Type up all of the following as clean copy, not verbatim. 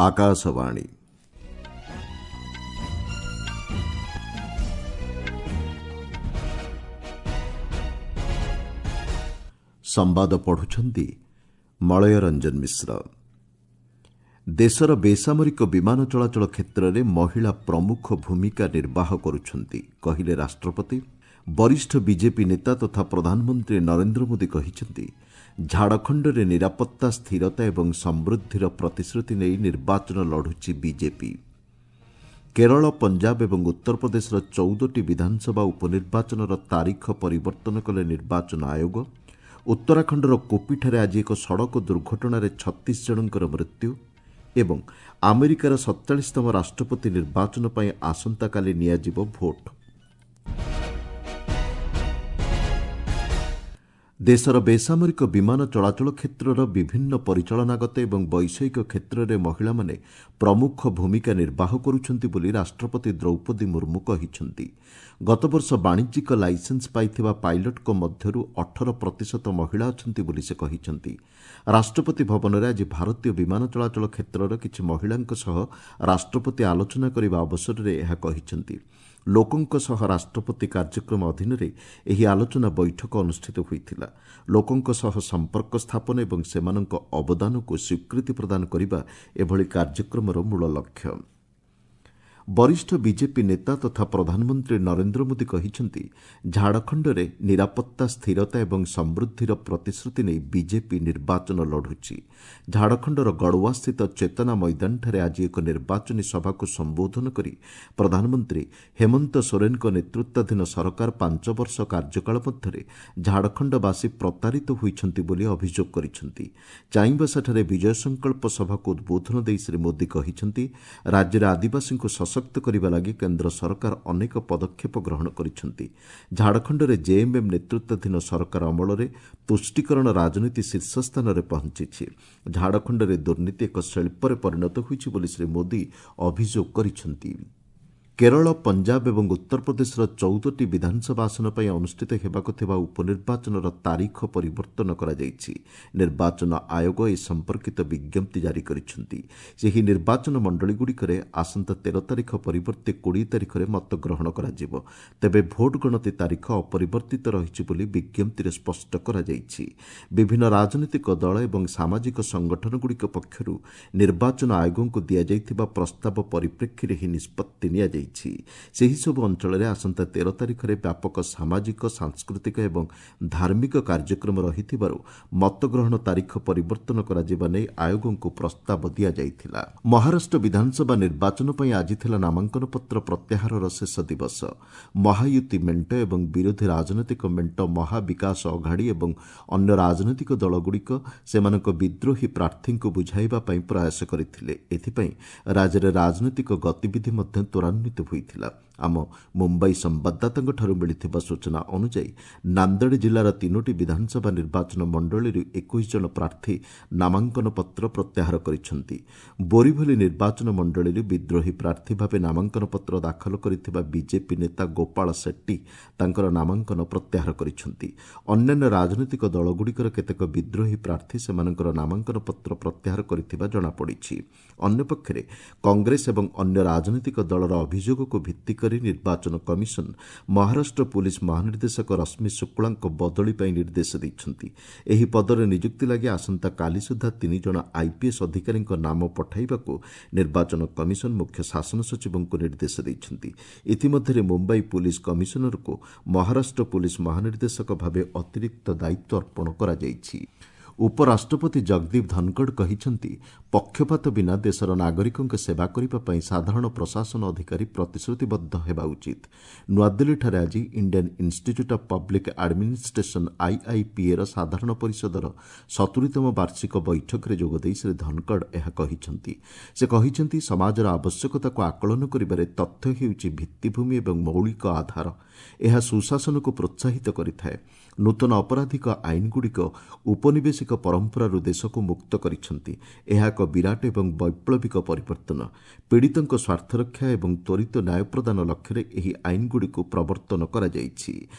ଆକାଶବାଣୀ। ସମ୍ବାଦ ପଢୁଛନ୍ତି ମଳୟ ରଞ୍ଜନ ମିଶ୍ର। ଦେଶର ବେସାମରିକ ବିମାନ ଚଳାଚଳ କ୍ଷେତ୍ରରେ ମହିଳା ପ୍ରମୁଖ ଭୂମିକା ନିର୍ବାହ କରୁଛନ୍ତି, କହିଲେ ରାଷ୍ଟ୍ରପତି। ବରିଷ୍ଠ ବିଜେପି ନେତା ତଥା ପ୍ରଧାନମନ୍ତ୍ରୀ ନରେନ୍ଦ୍ର ମୋଦି କହିଛନ୍ତି, ଝାଡ଼ଖଣ୍ଡରେ ନିରାପତ୍ତା, ସ୍ଥିରତା ଏବଂ ସମୃଦ୍ଧିର ପ୍ରତିଶ୍ରୁତି ନେଇ ନିର୍ବାଚନ ଲଢୁଛି ବିଜେପି। କେରଳ, ପଞ୍ଜାବ ଏବଂ ଉତ୍ତରପ୍ରଦେଶର 14ଟି ବିଧାନସଭା ଉପନିର୍ବାଚନର ତାରିଖ ପରିବର୍ତ୍ତନ କଲେ ନିର୍ବାଚନ ଆୟୋଗ। ଉତ୍ତରାଖଣ୍ଡର କୋପିଠାରେ ଆଜି ଏକ ସଡ଼କ ଦୁର୍ଘଟଣାରେ 36 ଜଣଙ୍କର ମୃତ୍ୟୁ ଏବଂ ଆମେରିକାର 47ତମ ରାଷ୍ଟ୍ରପତି ନିର୍ବାଚନ ପାଇଁ ଆସନ୍ତାକାଲି ନିଆଯିବ ଭୋଟ୍। ଦେଶର ବେସାମରିକ ବିମାନ ଚଳାଚଳ କ୍ଷେତ୍ରର ବିଭିନ୍ନ ପରିଚାଳନାଗତ ଏବଂ ବୈଷୟିକ କ୍ଷେତ୍ରରେ ମହିଳାମାନେ ପ୍ରମୁଖ ଭୂମିକା ନିର୍ବାହ କରୁଛନ୍ତି ବୋଲି ରାଷ୍ଟ୍ରପତି ଦ୍ରୌପଦୀ ମୁର୍ମୁ କହିଛନ୍ତି। ଗତବର୍ଷ ବାଣିଜ୍ୟିକ ଲାଇସେନ୍ସ ପାଇଥିବା ପାଇଲଟଙ୍କ ମଧ୍ୟରୁ 18% ମହିଳା ଅଛନ୍ତି ବୋଲି ସେ କହିଛନ୍ତି। ରାଷ୍ଟ୍ରପତି ଭବନରେ ଆଜି ଭାରତୀୟ ବିମାନ ଚଳାଚଳ କ୍ଷେତ୍ରର କିଛି ମହିଳାଙ୍କ ସହ ରାଷ୍ଟ୍ରପତି ଆଲୋଚନା କରିବା ଅବସରରେ ଏହା କହିଛନ୍ତି। ଲୋକଙ୍କ ସହ ରାଷ୍ଟ୍ରପତି କାର୍ଯ୍ୟକ୍ରମ ଅଧୀନରେ ଏହି ଆଲୋଚନା ବୈଠକ ଅନୁଷ୍ଠିତ ହୋଇଥିଲା। ଲୋକଙ୍କ ସହ ସମ୍ପର୍କ ସ୍ଥାପନ ଏବଂ ସେମାନଙ୍କ ଅବଦାନକୁ ସ୍ୱୀକୃତି ପ୍ରଦାନ କରିବା ଏଭଳି କାର୍ଯ୍ୟକ୍ରମର ମୂଳ ଲକ୍ଷ୍ୟ। ବରିଷ୍ଠ ବିଜେପି ନେତା ତଥା ପ୍ରଧାନମନ୍ତ୍ରୀ ନରେନ୍ଦ୍ର ମୋଦି କହିଛନ୍ତି, ଝାଡ଼ଖଣ୍ଡରେ ନିରାପତ୍ତା, ସ୍ଥିରତା ଏବଂ ସମୃଦ୍ଧିର ପ୍ରତିଶ୍ରୁତି ନେଇ ବିଜେପି ନିର୍ବାଚନ ଲଢୁଛି। ଝାଡ଼ଖଣ୍ଡର ଗଡ଼ୱାସ୍ଥିତ ଚେତନା ମଇଦାନଠାରେ ଆଜି ଏକ ନିର୍ବାଚନୀ ସଭାକୁ ସମ୍ବୋଧନ କରି ପ୍ରଧାନମନ୍ତ୍ରୀ ହେମନ୍ତ ସୋରେନଙ୍କ ନେତୃତ୍ୱାଧୀନ ସରକାର 5 ବର୍ଷ କାର୍ଯ୍ୟକାଳ ମଧ୍ୟରେ ଝାଡ଼ଖଣ୍ଡବାସୀ ପ୍ରତାରିତ ହୋଇଛନ୍ତି ବୋଲି ଅଭିଯୋଗ କରିଛନ୍ତି। ଚାଇଁବାସାଠାରେ ବିଜୟ ସଂକଳ୍ପ ସଭାକୁ ଉଦ୍ବୋଧନ ଦେଇ ଶ୍ରୀ ମୋଦି କହିଛନ୍ତି, ରାଜ୍ୟରେ ଆଦିବାସୀଙ୍କୁ ସଶକ୍ତ କରିବା ଲାଗି କେନ୍ଦ୍ର ସରକାର ଅନେକ ପଦକ୍ଷେପ ଗ୍ରହଣ କରିଛନ୍ତି। ଝାଡ଼ଖଣ୍ଡରେ ଜେଏମ୍ଏମ୍ ନେତୃତ୍ୱାଧୀନ ସରକାର ଅମଳରେ ତୁଷ୍ଟିକରଣ ରାଜନୀତି ଶୀର୍ଷ ସ୍ଥାନରେ ପହଞ୍ଚିଛି। ଝାଡ଼ଖଣ୍ଡରେ ଦୁର୍ନୀତି ଏକ ଶିଳ୍ପରେ ପରିଣତ ହୋଇଛି ବୋଲି ଶ୍ରୀ ମୋଦି ଅଭିଯୋଗ କରିଛନ୍ତି। କେରଳ, ପଞ୍ଜାବ ଏବଂ ଉତ୍ତରପ୍ରଦେଶର 14ଟି ବିଧାନସଭା ଆସନ ପାଇଁ ଅନୁଷ୍ଠିତ ହେବାକୁ ଥିବା ଉପନିର୍ବାଚନର ତାରିଖ ପରିବର୍ତ୍ତନ କରାଯାଇଛି। ନିର୍ବାଚନ ଆୟୋଗ ଏ ସମ୍ପର୍କିତ ବିଜ୍ଞପ୍ତି ଜାରି କରିଛନ୍ତି। ସେହି ନିର୍ବାଚନ ମଣ୍ଡଳୀଗୁଡ଼ିକରେ ଆସନ୍ତା 13 ତାରିଖ ପରିବର୍ତ୍ତେ 20 ତାରିଖରେ ମତଗ୍ରହଣ କରାଯିବ। ତେବେ ଭୋଟ୍ ଗଣତି ତାରିଖ ଅପରିବର୍ତ୍ତିତ ରହିଛି ବୋଲି ବିଜ୍ଞପ୍ତିରେ ସ୍ପଷ୍ଟ କରାଯାଇଛି। ବିଭିନ୍ନ ରାଜନୈତିକ ଦଳ ଏବଂ ସାମାଜିକ ସଂଗଠନଗୁଡ଼ିକ ପକ୍ଷରୁ ନିର୍ବାଚନ ଆୟୋଗଙ୍କୁ ଦିଆଯାଇଥିବା ପ୍ରସ୍ତାବ ପରିପ୍ରେକ୍ଷୀରେ ଏହି ନିଷ୍ପତ୍ତି ନିଆଯାଇଛି। ସେହିସବୁ ଅଞ୍ଚଳରେ ଆସନ୍ତା 13 ତାରିଖରେ ବ୍ୟାପକ ସାମାଜିକ, ସାଂସ୍କୃତିକ ଏବଂ ଧାର୍ମିକ କାର୍ଯ୍ୟକ୍ରମ ରହିଥିବାରୁ ମତଗ୍ରହଣ ତାରିଖ ପରିବର୍ତ୍ତନ କରାଯିବା ନେଇ ଆୟୋଗଙ୍କୁ ପ୍ରସ୍ତାବ ଦିଆଯାଇଥିଲା। ମହାରାଷ୍ଟ୍ର ବିଧାନସଭା ନିର୍ବାଚନ ପାଇଁ ଆଜି ଥିଲା ନାମାଙ୍କନପତ୍ର ପ୍ରତ୍ୟାହାରର ଶେଷ ଦିବସ। ମହାୟୁତି ମେଣ୍ଟ ଏବଂ ବିରୋଧୀ ରାଜନୈତିକ ମେଣ୍ଟ ମହାବିକାଶ ଅଘାଡ଼ି ଏବଂ ଅନ୍ୟ ରାଜନୈତିକ ଦଳଗୁଡ଼ିକ ସେମାନଙ୍କ ବିଦ୍ରୋହୀ ପ୍ରାର୍ଥୀଙ୍କୁ ବୁଝାଇବା ପାଇଁ ପ୍ରୟାସ କରିଥିଲେ। ଏଥିପାଇଁ ରାଜ୍ୟରେ ରାଜନୈତିକ ଗତିବିଧି ମଧ୍ୟ ତ୍ୱରାନ୍ୱିତ ହୋଇଥିଲା। ଆମ ମୁମ୍ବାଇ ସମ୍ବାଦଦାତାଙ୍କଠାରୁ ମିଳିଥିବା ସୂଚନା ଅନୁଯାୟୀ ନାନ୍ଦେଡ଼ ଜିଲ୍ଲାର 3ଟି ବିଧାନସଭା ନିର୍ବାଚନ ମଣ୍ଡଳୀରୁ 21 ଜଣ ପ୍ରାର୍ଥୀ ନାମାଙ୍କନ ପତ୍ର ପ୍ରତ୍ୟାହାର କରିଛନ୍ତି। ବୋରିଭଲି ନିର୍ବାଚନ ମଣ୍ଡଳୀରୁ ବିଦ୍ରୋହୀ ପ୍ରାର୍ଥୀ ଭାବେ ନାମାଙ୍କନ ପତ୍ର ଦାଖଲ କରିଥିବା ବିଜେପି ନେତା ଗୋପାଳ ସେଟ୍ଟି ତାଙ୍କର ନାମାଙ୍କନ ପ୍ରତ୍ୟାହାର କରିଛନ୍ତି। ଅନ୍ୟାନ୍ୟ ରାଜନୈତିକ ଦଳଗୁଡ଼ିକର କେତେକ ବିଦ୍ରୋହୀ ପ୍ରାର୍ଥୀ ସେମାନଙ୍କର ନାମାଙ୍କନ ପତ୍ର ପ୍ରତ୍ୟାହାର କରିଥିବା ଜଣାପଡ଼ିଛି। ଅନ୍ୟପକ୍ଷରେ କଂଗ୍ରେସ ଏବଂ ଅନ୍ୟ ରାଜନୈତିକ ଦଳର ଅଭିଯୋଗକୁ ଭିତ୍ତି କରି ନିର୍ବାଚନ କମିଶନ ମହାରାଷ୍ଟ୍ର ପୁଲିସ୍ ମହାନିର୍ଦ୍ଦେଶକ ରଶ୍ମି ଶୁକ୍ଳାଙ୍କ ବଦଳି ପାଇଁ ନିର୍ଦ୍ଦେଶ ଦେଇଛନ୍ତି। ଏହି ପଦରେ ନିଯୁକ୍ତି ଲାଗି ଆସନ୍ତାକାଲି ସୁଦ୍ଧା 3 ଜଣ ଆଇପିଏସ୍ ଅଧିକାରୀଙ୍କ ନାମ ପଠାଇବାକୁ ନିର୍ବାଚନ କମିଶନ ମୁଖ୍ୟ ଶାସନ ସଚିବଙ୍କୁ ନିର୍ଦ୍ଦେଶ ଦେଇଛନ୍ତି। ଇତିମଧ୍ୟରେ ମୁମ୍ବାଇ ପୁଲିସ୍ କମିଶନରଙ୍କୁ ମହାରାଷ୍ଟ୍ର ପୁଲିସ୍ ମହାନିର୍ଦ୍ଦେଶକ ଭାବେ ଅତିରିକ୍ତ ଦାୟିତ୍ୱ ଅର୍ପଣ କରାଯାଇଛି। ଉପରାଷ୍ଟ୍ରପତି ଜଗଦୀପ ଧନଖଡ଼ କହିଛନ୍ତି, ପକ୍ଷପାତ ବିନା ଦେଶର ନାଗରିକଙ୍କ ସେବା କରିବା ପାଇଁ ସାଧାରଣ ପ୍ରଶାସନ ଅଧିକାରୀ ପ୍ରତିଶ୍ରୁତିବଦ୍ଧ ହେବା ଉଚିତ। ନୂଆଦିଲ୍ଲୀଠାରେ ଆଜି Indian Institute of Public Administration ଆଇଆଇପିଏର ସାଧାରଣ ପରିଷଦର 70ତମ ବାର୍ଷିକ ବୈଠକରେ ଯୋଗଦେଇ ଶ୍ରୀ ଧନଖଡ଼ ଏହା କହିଛନ୍ତି। ସେ କହିଛନ୍ତି, ସମାଜର ଆବଶ୍ୟକତାକୁ ଆକଳନ କରିବାରେ ତଥ୍ୟ ହେଉଛି ଭିତ୍ତିଭୂମି ଏବଂ ମୌଳିକ ଆଧାର। ଏହା ସୁଶାସନକୁ ପ୍ରୋତ୍ସାହିତ କରିଥାଏ। ନୂତନ ଅପରାଧିକ ଆଇନଗୁଡ଼ିକ ଉପନିବେଶିକ ଐତିହାସିକ ପରମ୍ପରାରୁ ଦେଶକୁ ମୁକ୍ତ କରିଛନ୍ତି। ଏହା ଏକ ବିରାଟ ଏବଂ ବୈପ୍ଳବିକ ପରିବର୍ତ୍ତନ। ପୀଡ଼ିତଙ୍କ ସ୍ୱାର୍ଥରକ୍ଷା ଏବଂ ତ୍ୱରିତ ନ୍ୟାୟ ପ୍ରଦାନ ଲକ୍ଷ୍ୟରେ ଏହି ଆଇନଗୁଡ଼ିକୁ ପ୍ରବର୍ତ୍ତନ କରାଯାଇଛି।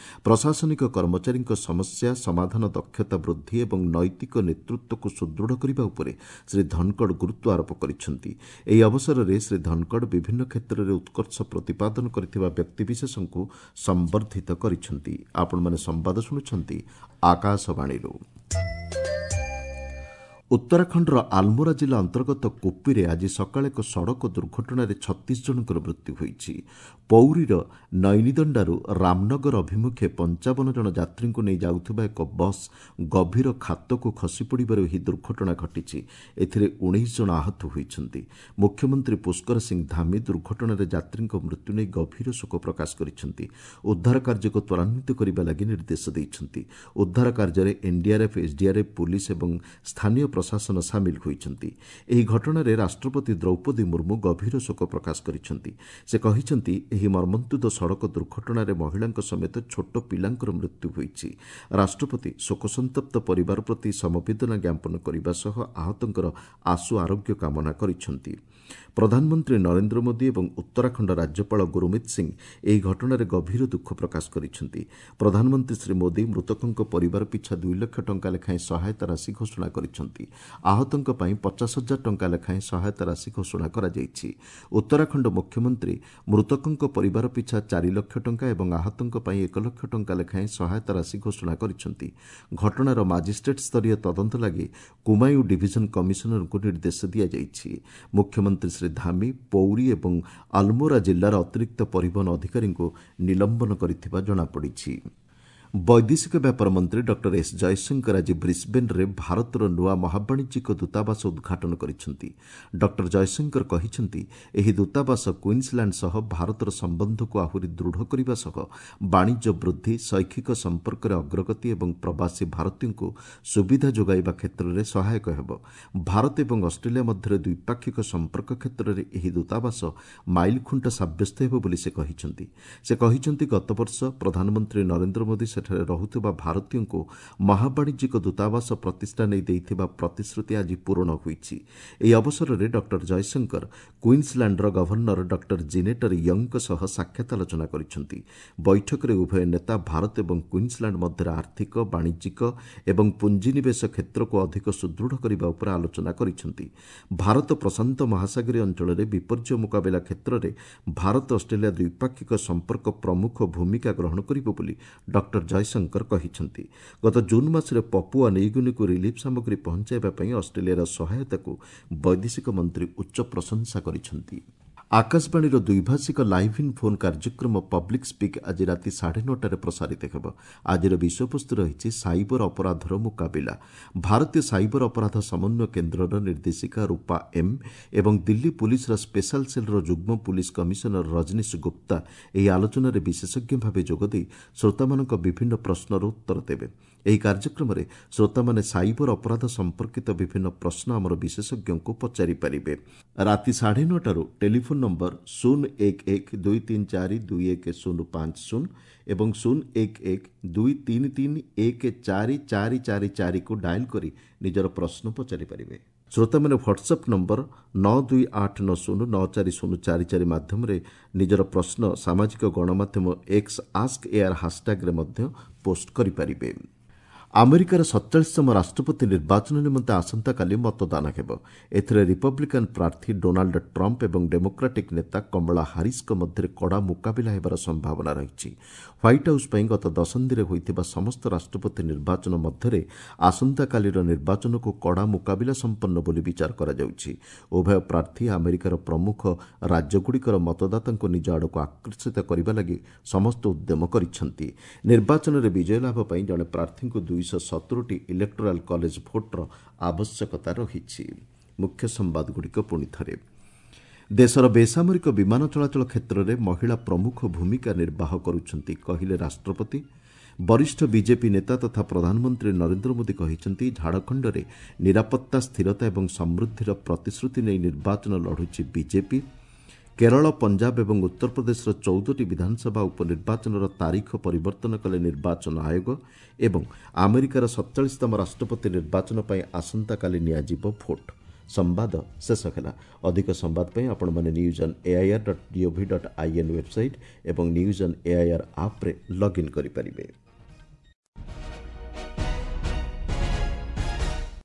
ପ୍ରଶାସନିକ କର୍ମଚାରୀଙ୍କ ସମସ୍ୟା ସମାଧାନ ଦକ୍ଷତା ବୃଦ୍ଧି ଏବଂ ନୈତିକ ନେତୃତ୍ୱକୁ ସୁଦୃଢ଼ କରିବା ଉପରେ ଶ୍ରୀ ଧନକଡ଼ ଗୁରୁତ୍ୱ ଆରୋପ କରିଛନ୍ତି। ଏହି ଅବସରରେ ଶ୍ରୀ ଧନକଡ଼ ବିଭିନ୍ନ କ୍ଷେତ୍ରରେ ଉତ୍କର୍ଷ ପ୍ରତିପାଦନ କରିଥିବା ବ୍ୟକ୍ତିବିଶେଷଙ୍କୁ ସମ୍ବର୍ଦ୍ଧିତ କରିଛନ୍ତି। ଆପଣମାନେ ସମ୍ବାଦ ଶୁଣୁଛନ୍ତି ଆକାଶବାଣୀରୁ। ଉତ୍ତରାଖଣ୍ଡର ଆଲମୋରା ଜିଲ୍ଲା ଅନ୍ତର୍ଗତ କୁପିରେ ଆଜି ସକାଳେ ଏକ ସଡ଼କ ଦୁର୍ଘଟଣାରେ 36 ଜଣଙ୍କର ମୃତ୍ୟୁ ହୋଇଛି। ପୌରୀର ନୈନିଦଣ୍ଡାରୁ ରାମନଗର ଅଭିମୁଖେ 55 ଜଣ ଯାତ୍ରୀଙ୍କୁ ନେଇ ଯାଉଥିବା ଏକ ବସ୍ ଗଭୀର ଖାତକୁ ଖସିପଡ଼ିବାରୁ ଏହି ଦୁର୍ଘଟଣା ଘଟିଛି। ଏଥିରେ 19 ଜଣ ଆହତ ହୋଇଛନ୍ତି। ମୁଖ୍ୟମନ୍ତ୍ରୀ ପୁଷ୍କର ସିଂ ଧାମି ଦୁର୍ଘଟଣାରେ ଯାତ୍ରୀଙ୍କ ମୃତ୍ୟୁ ନେଇ ଗଭୀର ଶୋକ ପ୍ରକାଶ କରିଛନ୍ତି। ଉଦ୍ଧାର କାର୍ଯ୍ୟକୁ ତ୍ୱରାନ୍ୱିତ କରିବା ଲାଗି ନିର୍ଦ୍ଦେଶ ଦେଇଛନ୍ତି। ଉଦ୍ଧାର କାର୍ଯ୍ୟରେ ଏନ୍ଡିଆର୍ଏଫ୍, ଏସ୍ଡିଆର୍ଏଫ୍, ପୁଲିସ୍ ଏବଂ ସ୍ଥାନୀୟ ପ୍ରଶାସନ ସାମିଲ ହୋଇଛନ୍ତି। ଏହି ଘଟଣାରେ ରାଷ୍ଟ୍ରପତି ଦ୍ରୌପଦୀ ମୁର୍ମୁ ଗଭୀର ଶୋକ ପ୍ରକାଶ କରିଛନ୍ତି। ସେ କହିଛନ୍ତି, ଏହି ମର୍ମନ୍ତୁଦ ସଡ଼କ ଦୁର୍ଘଟଣାରେ ମହିଳାଙ୍କ ସମେତ ଛୋଟ ପିଲାଙ୍କର ମୃତ୍ୟୁ ହୋଇଛି। ରାଷ୍ଟ୍ରପତି ଶୋକସନ୍ତପ୍ତ ପରିବାର ପ୍ରତି ସମବେଦନା ଜ୍ଞାପନ କରିବା ସହ ଆହତଙ୍କର ଆଶୁ ଆରୋଗ୍ୟ କାମନା କରିଛନ୍ତି। ପ୍ରଧାନମନ୍ତ୍ରୀ ନରେନ୍ଦ୍ର ମୋଦି ଏବଂ ଉତ୍ତରାଖଣ୍ଡ ରାଜ୍ୟପାଳ ଗୁରୁମିତ ସିଂ ଏହି ଘଟଣାରେ ଗଭୀର ଦୁଃଖ ପ୍ରକାଶ କରିଛନ୍ତି। ପ୍ରଧାନମନ୍ତ୍ରୀ ଶ୍ରୀ ମୋଦି ମୃତକଙ୍କ ପରିବାର ପିଛା 2 ଲକ୍ଷ ଟଙ୍କା ଲେଖାଏଁ ସହାୟତା ରାଶି ଘୋଷଣା କରିଛନ୍ତି। ଆହତଙ୍କ ପାଇଁ 50 ହଜାର ଟଙ୍କା ଲେଖାଏଁ ସହାୟତା ରାଶି ଘୋଷଣା କରାଯାଇଛି। ଉତ୍ତରାଖଣ୍ଡ ମୁଖ୍ୟମନ୍ତ୍ରୀ ମୃତକଙ୍କ ପରିବାର ପିଛା 4 ଲକ୍ଷ ଟଙ୍କା ଏବଂ ଆହତଙ୍କ ପାଇଁ 1 ଲକ୍ଷ ଟଙ୍କା ଲେଖାଏଁ ସହାୟତା ରାଶି ଘୋଷଣା କରିଛନ୍ତି। ଘଟଣାର ମାଜିଷ୍ଟ୍ରେଟ୍ ସ୍ତରୀୟ ତଦନ୍ତ ଲାଗି କୁମାୟୁଁ ଡିଭିଜନ କମିଶନରଙ୍କୁ ନିର୍ଦ୍ଦେଶ ଦିଆଯାଇଛି। ମୁଖ୍ୟମନ୍ତ୍ରୀ ଶ୍ରୀ ଧାମି ପୌରୀ ଏବଂ ଆଲମୋରା ଜିଲ୍ଲାର ଅତିରିକ୍ତ ପରିବହନ ଅଧିକାରୀଙ୍କୁ ନିଲମ୍ବନ କରିଥିବା ଜଣାପଡ଼ିଛି। ବୈଦେଶିକ ବ୍ୟାପାର ମନ୍ତ୍ରୀ ଡକ୍ଟର ଏସ୍ ଜୟଶଙ୍କର ଆଜି ବ୍ରିସ୍ବେନ୍ରେ ଭାରତର ନୂଆ ମହାବାଣିଜ୍ୟିକ ଦୂତାବାସ ଉଦ୍ଘାଟନ କରିଛନ୍ତି। ଡକ୍ଟର ଜୟଶଙ୍କର କହିଛନ୍ତି, ଏହି ଦୂତାବାସ କୁଇନ୍ସଲ୍ୟାଣ୍ଡ ସହ ଭାରତର ସମ୍ବନ୍ଧକୁ ଆହୁରି ଦୃଢ଼ କରିବା ସହ ବାଣିଜ୍ୟ ବୃଦ୍ଧି, ଶୈକ୍ଷିକ ସମ୍ପର୍କରେ ଅଗ୍ରଗତି ଏବଂ ପ୍ରବାସୀ ଭାରତୀୟଙ୍କୁ ସୁବିଧା ଯୋଗାଇବା କ୍ଷେତ୍ରରେ ସହାୟକ ହେବ। ଭାରତ ଏବଂ ଅଷ୍ଟ୍ରେଲିଆ ମଧ୍ୟରେ ଦ୍ୱିପାକ୍ଷିକ ସମ୍ପର୍କ କ୍ଷେତ୍ରରେ ଏହି ଦୂତାବାସ ମାଇଲଖୁଣ୍ଟ ସାବ୍ୟସ୍ତ ହେବ ବୋଲି ସେ କହିଛନ୍ତି। ସେ କହିଛନ୍ତି, ଗତବର୍ଷ ପ୍ରଧାନମନ୍ତ୍ରୀ ନରେନ୍ଦ୍ର ମୋଦି ସେଠାରେ ରହୁଥିବା ଭାରତୀୟଙ୍କୁ ମହାବାଣିଜ୍ୟିକ ଦୂତାବାସ ପ୍ରତିଷ୍ଠା ନେଇ ଦେଇଥିବା ପ୍ରତିଶ୍ରୁତି ଆଜି ପୂରଣ ହୋଇଛି। ଏହି ଅବସରରେ ଡକ୍ଟର ଜୟଶଙ୍କର କୁଇନ୍ସଲ୍ୟାଣ୍ଡର ଗଭର୍ଣ୍ଣର ଡକ୍ଟର ଜିନେଟର ୟଙ୍ଗଙ୍କ ସହ ସାକ୍ଷାତ ଆଲୋଚନା କରିଛନ୍ତି। ବୈଠକରେ ଉଭୟ ନେତା ଭାରତ ଏବଂ କୁଇନ୍ସଲ୍ୟାଣ୍ଡ ମଧ୍ୟରେ ଆର୍ଥିକ, ବାଣିଜ୍ୟିକ ଏବଂ ପୁଞ୍ଜିନିବେଶ କ୍ଷେତ୍ରକୁ ଅଧିକ ସୁଦୃଢ଼ କରିବା ଉପରେ ଆଲୋଚନା କରିଛନ୍ତି। ଭାରତ ପ୍ରଶାନ୍ତ ମହାସାଗରୀୟ ଅଞ୍ଚଳରେ ବିପର୍ଯ୍ୟୟ ମୁକାବିଲା କ୍ଷେତ୍ରରେ ଭାରତ ଅଷ୍ଟ୍ରେଲିଆ ଦ୍ୱିପାକ୍ଷିକ ସମ୍ପର୍କ ପ୍ରମୁଖ ଭୂମିକା ଗ୍ରହଣ କରିବ ବୋଲି ଡକ୍ଟର ଜୟଶଙ୍କର କହିଛନ୍ତି। ଗତ ଜୁନ୍ ମାସରେ ପପୁଆ ନ୍ୟୁଗିନିକୁ ରିଲିଫ୍ ସାମଗ୍ରୀ ପହଞ୍ଚାଇବା ପାଇଁ ଅଷ୍ଟ୍ରେଲିଆର ସହାୟତାକୁ ବୈଦେଶିକ ମନ୍ତ୍ରୀ ଉଚ୍ଚ ପ୍ରଶଂସା କରିଛନ୍ତି। ଆକାଶବାଣୀର ଦ୍ୱିଭାଷିକ ଲାଇଭ୍ ଇନ୍ ଫୋନ୍ କାର୍ଯ୍ୟକ୍ରମ ପବ୍ଲିକ୍ ସ୍ପିକ୍ ଆଜି ରାତି 9:30ରେ ପ୍ରସାରିତ ହେବ। ଆଜିର ବିଷୟବସ୍ତୁ ରହିଛି ସାଇବର ଅପରାଧର ମୁକାବିଲା। ଭାରତୀୟ ସାଇବର ଅପରାଧ ସମନ୍ୱୟ କେନ୍ଦ୍ରର ନିର୍ଦ୍ଦେଶିକା ରୂପା ଏମ୍ ଏବଂ ଦିଲ୍ଲୀ ପୁଲିସ୍ର ସ୍ପେଶାଲ ସେଲ୍ର ଯୁଗ୍ମ ପୁଲିସ୍ କମିଶନର ରଜନୀଶ ଗୁପ୍ତା ଏହି ଆଲୋଚନାରେ ବିଶେଷଜ୍ଞ ଭାବେ ଯୋଗଦେଇ ଶ୍ରୋତାମାନଙ୍କ ବିଭିନ୍ନ ପ୍ରଶ୍ନର ଉତ୍ତର ଦେବେ। ଏହି କାର୍ଯ୍ୟକ୍ରମରେ ଶ୍ରୋତାମାନେ ସାଇବର ଅପରାଧ ସମ୍ପର୍କିତ ବିଭିନ୍ନ ପ୍ରଶ୍ନ ଆମର ବିଶେଷଜ୍ଞଙ୍କୁ ପଚାରିପାରିବେ। ରାତି 9:30ରୁ ଟେଲିଫୋନ୍ ନମ୍ବର 0 1 1 2 3 4 2 1 0 5 0 ଏବଂ 0 1 1 2 3 3 1 4 4 4 4କୁ ଡାଏଲ୍ କରି ନିଜର ପ୍ରଶ୍ନ ପଚାରିପାରିବେ। ଶ୍ରୋତାମାନେ ହ୍ୱାଟ୍ସଆପ୍ ନମ୍ବର 9 2 8 9 0 9 4 0 4 4 ମାଧ୍ୟମରେ ନିଜର ପ୍ରଶ୍ନ ସାମାଜିକ ଗଣମାଧ୍ୟମ ଏକ୍ସ ଆସ୍କ ଏୟାର ହାସ୍ଟ୍ୟାଗ୍ରେ ମଧ୍ୟ ପୋଷ୍ଟ କରିପାରିବେ। ଆମେରିକାର 47ତମ ରାଷ୍ଟ୍ରପତି ନିର୍ବାଚନ ନିମନ୍ତେ ଆସନ୍ତାକାଲି ମତଦାନ ହେବ। ଏଥିରେ ରିପବ୍ଲିକାନ୍ ପ୍ରାର୍ଥୀ ଡୋନାଲ୍ଡ ଟ୍ରମ୍ପ ଏବଂ ଡେମୋକ୍ରାଟିକ୍ ନେତା କମଳା ହାରିସ୍ଙ୍କ ମଧ୍ୟରେ କଡ଼ା ମୁକାବିଲା ହେବାର ସମ୍ଭାବନା ରହିଛି। ହ୍ୱାଇଟ୍ ହାଉସ୍ ପାଇଁ ଗତ ଦଶନ୍ଧିରେ ହୋଇଥିବା ସମସ୍ତ ରାଷ୍ଟ୍ରପତି ନିର୍ବାଚନ ମଧ୍ୟରେ ଆସନ୍ତାକାଲିର ନିର୍ବାଚନକୁ କଡ଼ା ମୁକାବିଲା ସମ୍ପନ୍ନ ବୋଲି ବିଚାର କରାଯାଉଛି। ଉଭୟ ପ୍ରାର୍ଥୀ ଆମେରିକାର ପ୍ରମୁଖ ରାଜ୍ୟଗୁଡ଼ିକର ମତଦାତାଙ୍କୁ ନିଜ ଆଡ଼କୁ ଆକର୍ଷିତ କରିବା ଲାଗି ସମସ୍ତ ଉଦ୍ୟମ କରିଛନ୍ତି। ନିର୍ବାଚନରେ ବିଜୟ ଲାଭ ପାଇଁ ଜଣେ ପ୍ରାର୍ଥୀଙ୍କୁ 270ଟି ଇଲେକ୍ଟୋରାଲ୍ କଲେଜ ଭୋଟ୍ର ଆବଶ୍ୟକତା ରହିଛି। ମୁଖ୍ୟ ସମ୍ବାଦଗୁଡ଼ିକ ପୁଣି ଥରେ। ଦେଶର ବେସାମରିକ ବିମାନ ଚଳାଚଳ କ୍ଷେତ୍ରରେ ମହିଳା ପ୍ରମୁଖ ଭୂମିକା ନିର୍ବାହ କରୁଛନ୍ତି, କହିଲେ ରାଷ୍ଟ୍ରପତି। ବରିଷ୍ଠ ବିଜେପି ନେତା ତଥା ପ୍ରଧାନମନ୍ତ୍ରୀ ନରେନ୍ଦ୍ର ମୋଦି କହିଛନ୍ତି, ଝାଡ଼ଖଣ୍ଡରେ ନିରାପତ୍ତା, ସ୍ଥିରତା ଏବଂ ସମୃଦ୍ଧିର ପ୍ରତିଶ୍ରୁତି ନେଇ ନିର୍ବାଚନ ଲଢ଼ୁଛି ବିଜେପି। କେରଳ, ପଞ୍ଜାବ ଏବଂ ଉତ୍ତରପ୍ରଦେଶର 14ଟି ବିଧାନସଭା ଉପନିର୍ବାଚନର ତାରିଖ ପରିବର୍ତ୍ତନ କଲେ ନିର୍ବାଚନ ଆୟୋଗ। ଏବଂ ଆମେରିକାର 47ତମ ରାଷ୍ଟ୍ରପତି ନିର୍ବାଚନ ପାଇଁ ଆସନ୍ତାକାଲି ନିଆଯିବ ଭୋଟ୍। ସମ୍ବାଦ ଶେଷ ହେଲା। ଅଧିକ ସମ୍ବାଦ ପାଇଁ ଆପଣମାନେ news on AIR dot GOV dot IN website ଏବଂ ନ୍ୟୁଜ୍ ଅନ୍ ଏଆଇଆର୍ ଆପ୍ରେ ଲଗ୍ଇନ୍ କରିପାରିବେ।